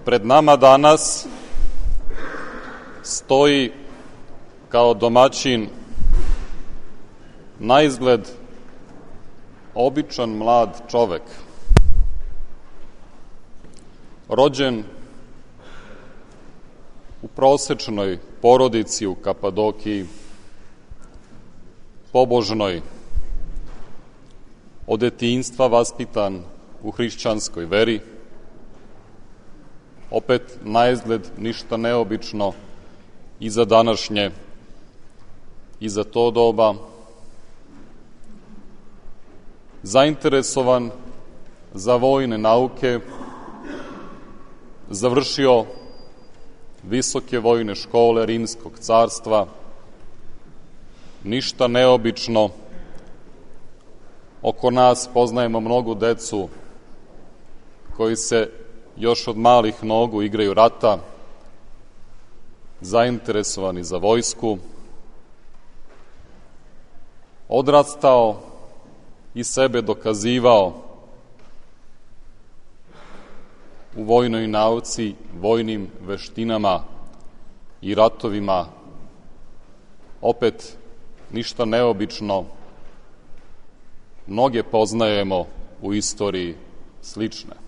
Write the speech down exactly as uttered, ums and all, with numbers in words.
Pred nama danas stoji kao domaćin naizgled običan mlad čovek, rođen u prosečnoj porodici u Kapadokiji, pobožnoj, od detinjstva vaspitan u hrišćanskoj veri, opet naizgled ništa neobično i za današnje i za to doba, zainteresovan za vojne nauke, završio visoke vojne škole Rimskog carstva, ništa neobično. Oko nas poznajemo mnogu decu koji se još od malih nogu igraju rata, zainteresovani za vojsku, odrastao i sebe dokazivao u vojnoj nauci, vojnim veštinama i ratovima, opet ništa neobično, mnoge poznajemo u istoriji slične.